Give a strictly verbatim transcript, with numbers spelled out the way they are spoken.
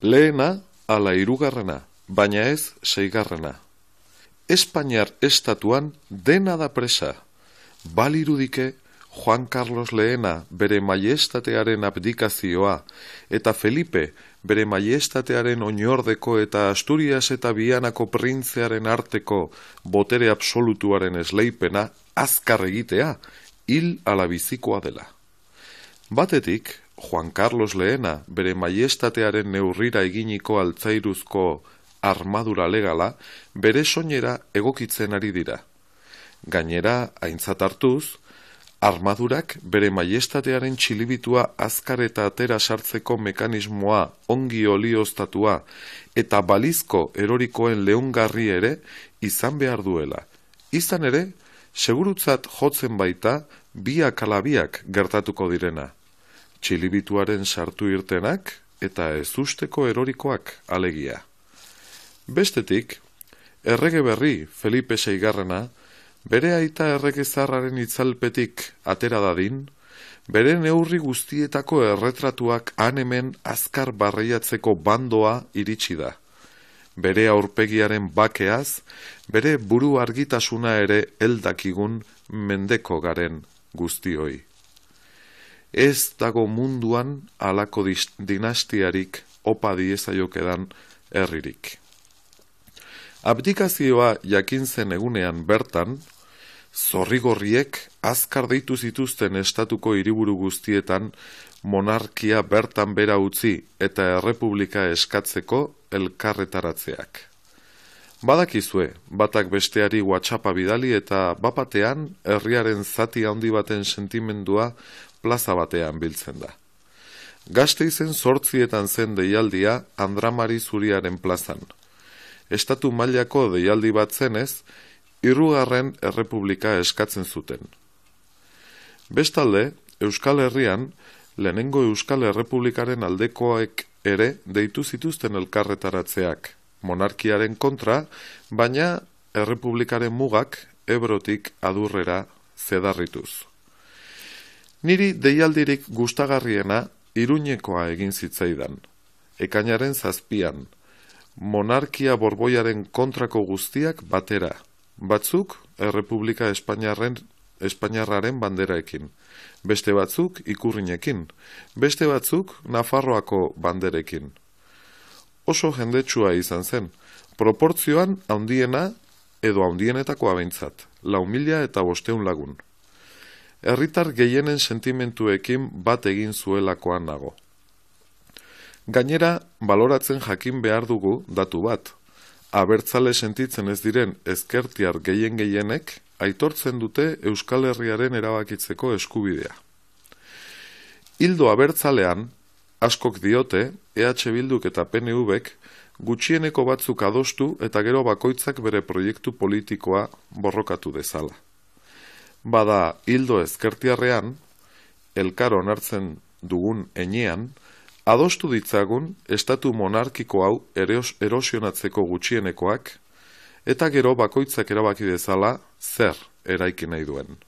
Lehena ala hirugarrena, baina ez seigarrena. Espainiar estatuan dena da presa. Balirudike Juan Carlos lehena bere maiestatearen abdikazioa eta Felipe bere maiestatearen oinordeko eta Asturias eta Bianako printzearen arteko botere absolutuaren esleipena azkar egitea hil ala bizikoa dela. Batetik, Juan Carlos lehena bere maiestatearen neurrira eginiko altzairuzko armadura legala bere soinera egokitzen ari dira. Gainera, aintzat hartuz, armadurak bere maiestatearen txilibitua azkar eta atera sartzeko mekanismoa ongi olioztatua eta balizko erorikoen leungarri ere izan behar duela. Izan ere, segurutzat jotzen baita biak ala biak gertatuko direna. Txilibituaren sartu irtenak eta ezusteko erorikoak alegia. Bestetik, errege berri Felipe seigarrena bere aita erregezarraren itzalpetik atera dadin, bere neurri guztietako erretratuak han-hemen azkar barreiatzeko bandoa iritsi da. Bere aurpegiaren bakeaz, bere buru argitasuna ere heldakigun mendeko garen guztioi. Ez dago munduan halako dinastiarik opa diezaiokedan herririk. Abdikazioa jakin zen egunean bertan, zorrigorriek azkar deitu zituzten estatuko hiriburu guztietan monarkia bertan bera utzi eta errepublika eskatzeko elkarretaratzeak. Badakizue, batak besteari WhatsAppa bidali eta bapatean herriaren zati handi baten sentimendua plaza batean biltzen da. Gasteizen zortzietan zen deialdia Andramari Zuriaren plazan. Estatu mailako deialdi bat zenez, hirugarren errepublika eskatzen zuten. Bestalde, Euskal Herrian, lehenengo Euskal Errepublikaren aldekoek ere deitu zituzten elkarretaratzeak, monarkiaren kontra, baina errepublikaren mugak Ebrotik adurrera zedarrituz. Niri deialdirik gustagarriena Iruñekoa egin zitzaidan, ekainaren zazpian, monarkia borboiaren kontrako guztiak batera, batzuk Errepublika Espainiarren, Espainiarraren banderaekin, beste batzuk ikurrinekin, beste batzuk Nafarroako banderekin. Oso jendetsua izan zen, proportzioan handiena edo handienetakoa behintzat, lau mila eta bosteun lagun. Herritar gehienen sentimentuekin bat egin zuelakoan nago. Gainera, baloratzen jakin behar dugu datu bat. Abertzale sentitzen ez diren ezkertiar gehien gehienek aitortzen dute Euskal Herriaren erabakitzeko eskubidea. Hildo abertzalean, askok diote, E H Bilduk eta P N Vek gutxieneko batzuk adostu eta gero bakoitzak bere proiektu politikoa borrokatu dezala. Bada, hildo ezkertiarrean, elkar onartzen dugun enean, adostu ditzagun estatu monarkiko hau erosionatzeko gutxienekoak, eta gero bakoitzak erabaki dezala zer eraiki nahi duen.